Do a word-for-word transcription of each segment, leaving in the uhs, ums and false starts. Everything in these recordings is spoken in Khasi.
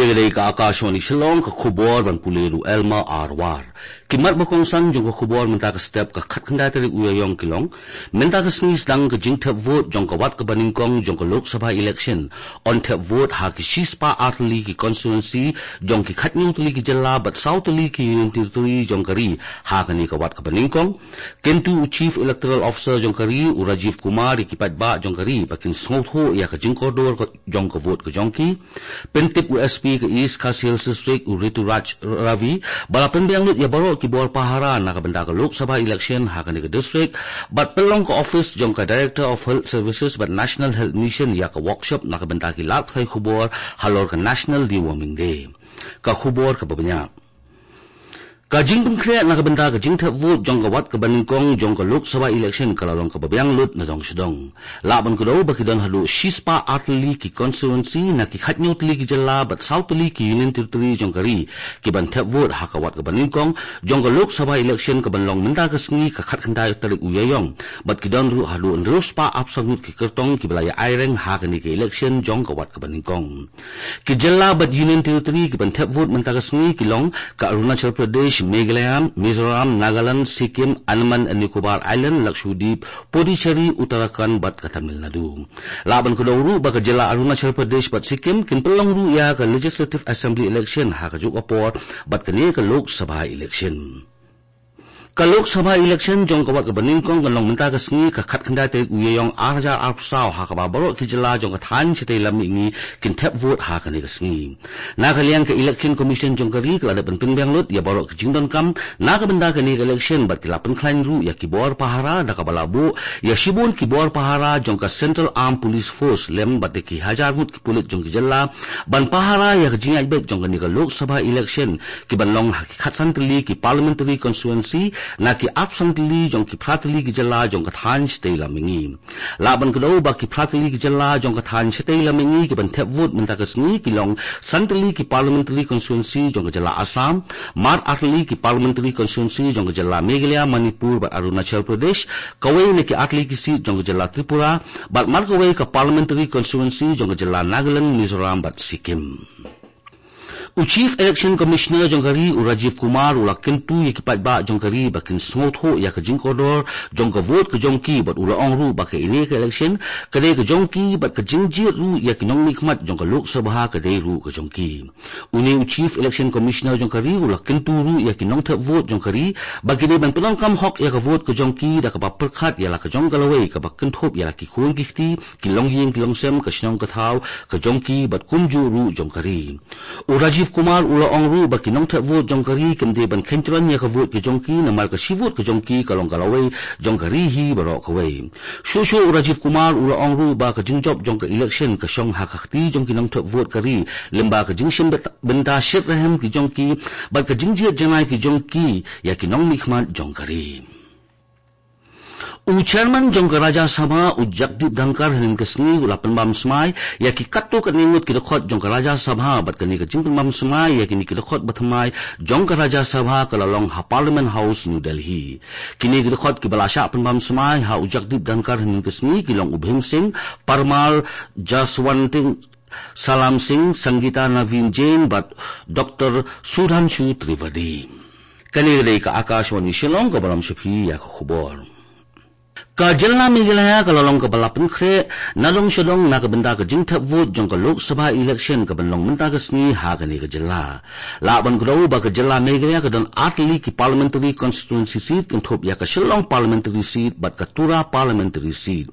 Ka dei ka Akashvani Shillong, ka khubor ban pule da u Elma Arwar. Ki mat ba kongsan jong ka khubor mynta ka step, ka khatkhyndai tarik u Ïaïong ki long: Mynta ka sngi sdang ka jingthep vote jong ka wat kaba nyngkong jong ka Lok Sabha election. Yn thep vote ha ki shispah artylli ki constituency jong ki khathynñiew tylli ki jylla bad saw tylli ki union territory jong ka ri ha kane ka wat kaba nyngkong. Kyntu u Chief Electoral Officer jong ka ri, u Rajiv Kumar, ïa ki paidbah jong ka ri ba kin sngewthuh ïa ka jingkordor ka, jong ka vote ka jong ki. Pyntip u S P ka East Khasi Hills District, u Rituraj Ravi, ba la pynbiang lut ïa baroh ki bor pahara na ka bynta ka Lok Sabha election ha kane ka district, bad pynlong ka office jong ka Director of Health Services bad National Health Mission ïa ka workshop na ka bynta ki lad pathai khubor halor ka National Deworming Day. Ka khubor kaba bniah. Ka jingpynkhreh na ka bynta ka jingthep vote jong ka wat kaba nyngkong jong ka Lok Sabha election ka la long kaba biang lut nadong shadong. Lah ban kdew ba ki don haduh shispah artylli ki constituency na ki khathynñiew tylli ki jylla bad saw tylli ki union territory jong ka ri ki ban thep vote ha ka wat kaba nyngkong jong ka Lok Sabha election ka ban long mynta ka sngi, ka khatkhyndai tarik u Ïaïong, bad ki don ruh haduh hynriewspah arphew saw ngut ki kyrtong kiba la ïa aireng ha kane ka election jong ka wat kaba nyngkong. Ki jylla bad union territory ki ban thep vote mynta ka sngi ki long ka Arunachal Pradesh, Meghalaya, Mizoram, Nagaland, Sikkim, Andaman and Nicobar Island, Lakshadweep, Puducherry, Uttarakhand bad ka Tamil Nadu. Lah ban kdew ruh ba ka jylla Arunachal Pradesh bad Sikkim kin pynlong ruh ïa ka Legislative Assembly election ha kajuh ka por bad kane ka Lok Sabha election. Ka Lok Sabha election jong ka wat kaba nyngkong kan long mynta ka sngi, ka khatkhyndai tarik u Ïaïong arhajar arphew saw, ha kaba baroh ki jylla jong ka thaiñ shatei lam mihngi kin thep vote ha kane ka sngi. Na ka liang ka Election Commission jong ka ri ka la dep ban pynbiang lut ïa baroh ki jingdonkam na ka bynta kane ka election bad ki la pynkhlaiñ ruh ïa ki bor pahara, da kaba la buh ïa shibun ki bor pahara jong ka Central Armed Police Force lem bad da ki hajar ngut ki pulit jong ki jylla ban pahara ïa ka jingïaid beit jong kane ka Lok Sabha election, ki ban long ha ki khatsan tylli ki parliamentary constituency na ki arphew san tylli jong ki phra tylli ki jylla jong ka thaiñ shatei lam mihngi. Lah ban kdew ba ki phra tylli ki jylla jong ka thaiñ shatei lam mihngi ki ban thep vote mynta ka sngi ki long san tylli ki parliamentary constituency jong ka jylla Assam, mar ar tylli ki parliamentary constituency jong ka jylla Meghalaya, Manipur bad Arunachal Pradesh, kawei na ki ar tylli ki seat jong ka jylla Tripura, bad mar kawei ka parliamentary constituency jong ka jylla Nagaland, Mizoram bad Sikkim. U Chief Election Commissioner jong ka ri, u Rajiv Kumar, u la kyntu ïa ki paidbah jong ka ri ba kin sngewthuh ïa ka jingkordor jong ka vote ka jong ki, bad u la ong ruh ba kane ka election ka dei ka jong ki bad ka jingjied ruh ïa ki nongmihkhmat jong ka Lok Sabha ka dei ruh ka jong ki. Une u Chief Election Commissioner jong ka ri u la kyntu ruh ïa ki nongthep vote jong ka ri ba ki dei ban pyndonkam hok ïa ka vote ka jong ki, da kaba pyrkhat ïa la ka jong ka lawei kaba kynthup ïa la ki khun ki kti, ki longïing ki longsem, ka shnong ka thaw ka jong ki bad kumjuh ruh jong ka ri. U Rajiv Kumar u la ong ruh ba ki nongthep vote jong ka ri kim dei ban khein tyrwa ïa ka vote ka jong ki, namar ka shi vote ka jong ki ka long ka lawei jong ka ri hi baroh kawei. Shuh shuh u Rajiv Kumar u la ong ruh ba ka jingjop jong ka election ka shong ha ka kti jong ki nongthep vote ka ri, lyngba ka jingshim bynta, bynta shitrhem ki jong ki bad ka jingjied janai ki jong ki ïa ki nongmihkhmat jong ka ri. U Chairman jong ka Rajya Sabha, u Jagdeep Dhankhar, hynnin ka sngi u la pynbam smai ïa ki katto katne ngut ki dkhot jong ka Rajya Sabha, bad kane ka jingpynbam smai ïa kine ki dkhot bathymmai jong ka Rajya Sabha ka la long ha Parliament House, New Delhi. Kine ki dkhot kiba la shah pynbam smai ha u Jagdeep Dhankhar hynnin ka sngi ki long u Bhim Singh Parmar, Jaswant Singh, Salam Singh, Sangeeta Naveen Jain bad Doctor Sudhanshu Trivedi. Kane ka dei ka Akashvani Shillong, kaba lam sha phi ïa ka khubor. Ka jylla Meghalaya ka la long kaba la pynkhreh nadong shadong na ka bynta ka jingthep vote jong ka Lok Sabha election ka ban long mynta ka sngi ha kane ka jylla. Lah ban kdew ba ka jylla Meghalaya ka don ar tylli ki parliamentary constituency seat, kynthup ïa ka Shillong parliamentary seat bad ka Tura parliamentary seat.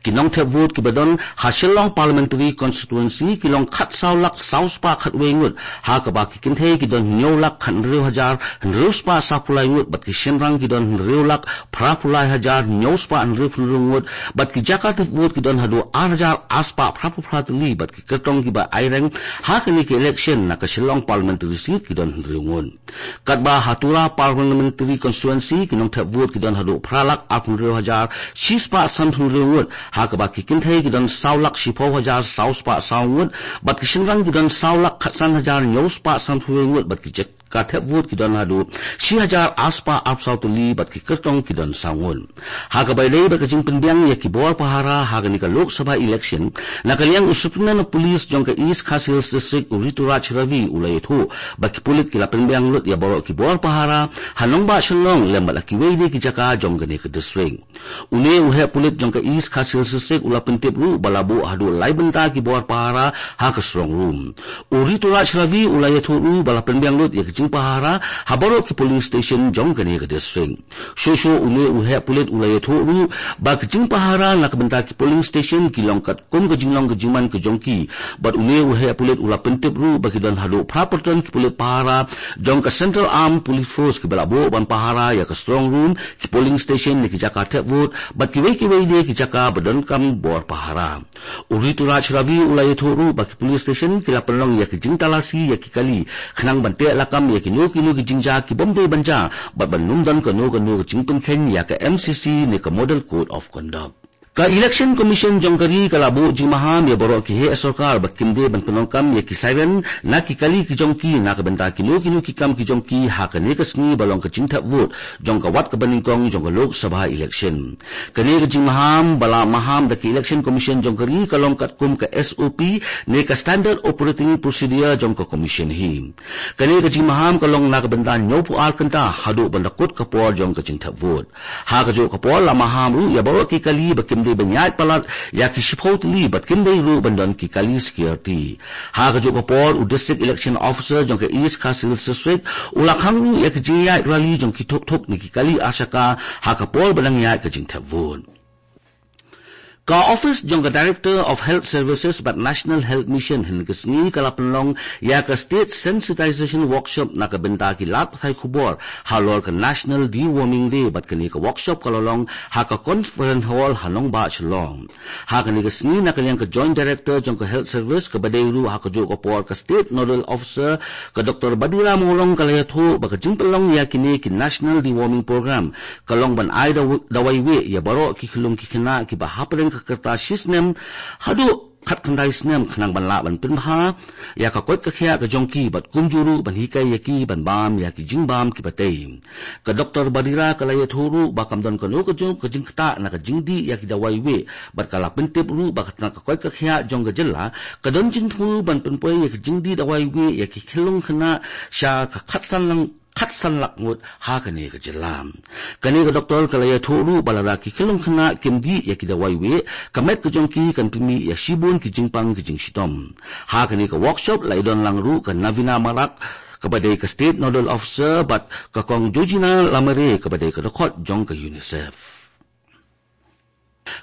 Ki nongthep vote kiba don ha Shillong parliamentary constituency ki long khatsaw lak saw spah khatwei ngut, ha kaba ki kynthei ki don hynñiew lak khathynriew hajar hynriew spah sawphew lai ngut, bad ki shynrang ki don hynriew lak phraphew lai hajar hynñiew spah hynriewphew hynriew ngut, bad ki jaka thep vote ki don haduh ar hajar ar spah phraphew phra tylli, bad ki kyrtong kiba aireng ha kane ka election na ka Shillong parliamentary seat ki don hynriew ngut. Katba ha Tura parliamentary constituency ki nongthep vote ki don haduh phra lak arphew hynriew hajar shi spah sanphew hynriew ngut, ha kaba ki kynthei ki don saw lak shiphew hajar saw spah saw ngut, bad ki shynrang ki don saw lak khatsan hajar hynñiew spah sanphew wei ngut, bad ki jaka thep vote ki don haduh shi hajar ar spah arphew saw tylli, bad ki kyrtong ki don saw ngut. Ha kaba Ka dei ba ka jingpynbiang ïa ki bor pahara ha kane ka Lok Sabha election, na ka liang u Superintendent of Police jong ka East Khasi Hills District u Rituraj Ravi u la ïathuh ba ki pulit ki la pynbiang lut ïa baroh ki bor pahara ha nongbah Shillong lem bad ha kiwei de ki jaka jong kane ka district. Une u heh pulit jong ka East Khasi Hills District u la pyntip ruh ba la buh haduh lai bynta ki bor pahara ha ka strong room. U Rituraj Ravi u la ïathuh ruh ba la pynbiang lut ïa ka jingpahara ha baroh ki polling station jong kane ka district. Shuh shuh une u heh pulit u la ïathuh ruh ba ka jingpahara na ka bynta ki polling station ki long katkum ka jinglong ka jingman ka jong ki. Bad une u heh pulit u la pyntip ruh ba ki don haduh phra pyrton ki pulit pahara jong ka Central Armed Police Force kiba la buh ban pahara ïa ka strong room, ki polling station ne ki jaka thep vote, bad kiwei kiwei de ki jaka ba donkam bor pahara. U Rituraj Ravi u la ïathuh ruh ba ki police station ki la pynlong ïa ki jingtalasi ïa ki kali khnang ban teh lakam ïa kino kino ki jingjia ki bym dei ban jia bad ban ym don kano kano ka jingpynkheiñ ïa ka M C C ne ka Model Code of Conduct. Ka Election Commission jong ka ri ka la buh jingmaham ïa baroh ki heh sorkar ba kim dei ban pyndonkam ïa ki siren na ki kali ki jong ki na ka bynta kino kino ki kam ki jong ki ha kane ka sngi ba long ka jingthep vote jong ka wat kaba nyngkong jong ka Lok Sabha election. Kane ka jingmaham ba la maham da ka Election Commission jong ka ri ka long katkum ka S O P ne ka Standard Operating Procedure jong ka Commission hi. Kane ka jingmaham ka long na ka bynta hynñiewphew ar kynta haduh ban da kut ka por jong ka jingthep vote. Ha kajuh ka por la maham ruh ïa baroh ki kali ba kim dei ban ïaid palat ïa ki shiphew tylli bad kim dei ruh ban don ki kali security. Ha kajuh ka por u District Election Officer jong ka East Khasi Hills District u la khang ruh ïa ka jingïaid rally jong ki thuk thuk ne ki kali arshaka ha ka por ba dang ïaid ka jingthep vote. Ka office jong ka Director of Health Services bad National Health Mission hynne ka sngi ka la pynlong ïa ka State Sensitization Workshop na ka bynta ki lad pathai khubor halor ka National Deworming Day bad kane ka workshop ka la long ha ka Conference Hall ha nongbah Shillong. Ha kane ka sngi na ka liang ka Joint Director jong ka Health Service kaba dei ruh ha kajuh ka por ka State Nodal Officer ka Doctor Badira Mawlong ka la ïathuh ba ka jingpynlong ïa kine ki National Deworming Program ka long ban ai daw-, dawai wieh ïa baroh ki khyllung ki khynnah kiba hapdeng ka rta shi snem haduh khatkhyndai snem khnang ban lah ban pynbha ïa ka koit ka khiah ka jong ki bad kumjuh ruh ban hikai ïa ki ban bam ïa ki jingbam kiba tei. Ka Doctor Badira ka la ïathuh ruh ba kam don kano kajuh ka jingktah na ka jingdih ïa ki dawai wieh bad ka la pyntip ruh ba ka tnat ka koit ka khiah jong ka jylla ka don jingthmu ban pynpoi ïa ka jingdih dawai wieh ïa ki khyllung khynnah sha ka khatsan lang khatsan lak ngut ha kane ka jylla. Kane ka doktor ka la ïathuh ruh ba lada ki khyllung khynnah kim dih ïa ki dawai wieh, ka met ka jong ki kan pynmih ïa shibun ki jingpang ki jingshitom. Ha kane ka workshop la ïadon lang ruh ka Navina Marak kaba dei ka State Nodal Officer bad ka Kong Georgina Lamare kaba dei ka dkhot jong ka UNICEF.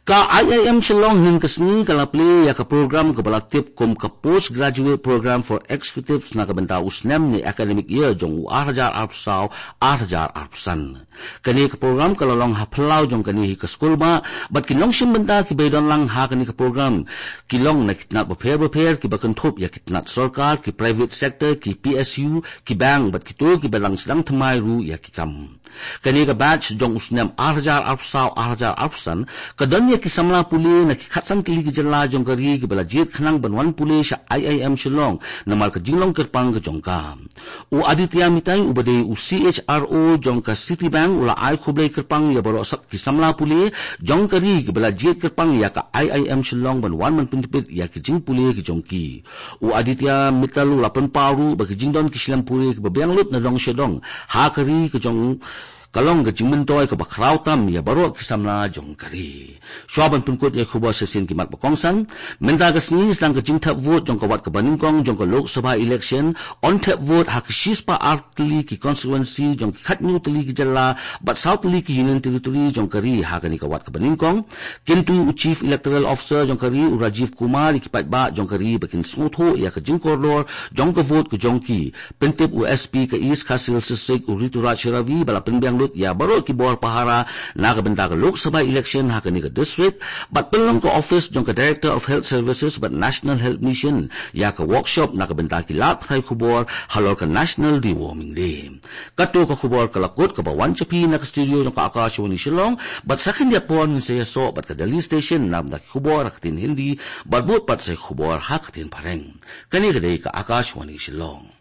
Ka I I M Shillong hynne ka sngi ka la plie ïa ka program kaba la tip kum ka Postgraduate Program for Executives na ka bynta u snem ne academic year jong u ar hajar arphew saw ar hajar arphew san. Kane ka program ka la long ha phyllaw jong kane hi ka skul ba bad ki nongshim bynta kiba ïadon lang ha kane ka program ki long na ki tnat bapher bapher kiba kynthup ïa ki tnat sorkar, ki private sector, ki P S U, ki bank bad kito kiba dang sdang thymmai ruh ïa ki kam. Kane ka batch jong u snem ar hajar arphew saw ar hajar arphew san ka don ïa ki samla pule na ki khatsan tylli ki jylla jong ka ri kiba la jied khnang ban wan pule sha I I M Shillong namar ka jinglong kyrpang ka jong ka. U Aditya Mittal uba dei u C H R O jong ka Citibank u la ai khublei kyrpang ïa baroh sat ki samla pule jong ka ri kiba la jied kyrpang ïa ka I I M Shillong ban wan ban pyntbit ïa ki jingpule ki jong ki. U Aditya Mittal u la pynpaw ruh ba ki jingdon ki shlem pule kiba biang lut na dong sha dong ha ka ri ka jong ka long ka jingmyntoi kaba khraw tam ïa baroh ki samla jong ka ri. Shuwa ban pynkut ïa ki khubor sha sien ki mat ba kongsan, mynta ka sngi sdang ka jingthep vote jong ka wat kaba nyngkong jong ka Lok Sabha election, yn thep vote ha ka shispah ar tylli ki constituency jong ki khathynñiew tylli ki jylla bad saw tylli ki Union Territory jong ka ri ha kane ka wat kaba nyngkong. Kyntu u Chief Electoral Officer jong ka ri u Rajiv Kumar ïa ki paidbah jong ka ri ba kin sngewthuh ïa ka jingkordor jong ka vote ka jong ki. Pyntip u S P ka East Khasi Hills District u Rituraj Ravi ba la pynbiang lut ïa baroh ki bor pahara na ka bynta ka Lok Sabha election ha kane ka district bad pynlong ka office jong ka Director of Health Services bad National Health Mission ïa ka workshop na ka bynta ki lad pathai khubor halor ka National Deworming Day. Kato ka khubor ka la kut kaba wan sha phi na ka studio jong ka Akashvani Shillong, bad sa khyndiat por ngin sa ïasoh bad ka Delhi Station na ka bynta ki khubor ha ka ktien Hindi, bad bud pat sa ki khubor ha ka ktien Phareng. Kane ka dei ka Akashvani Shillong.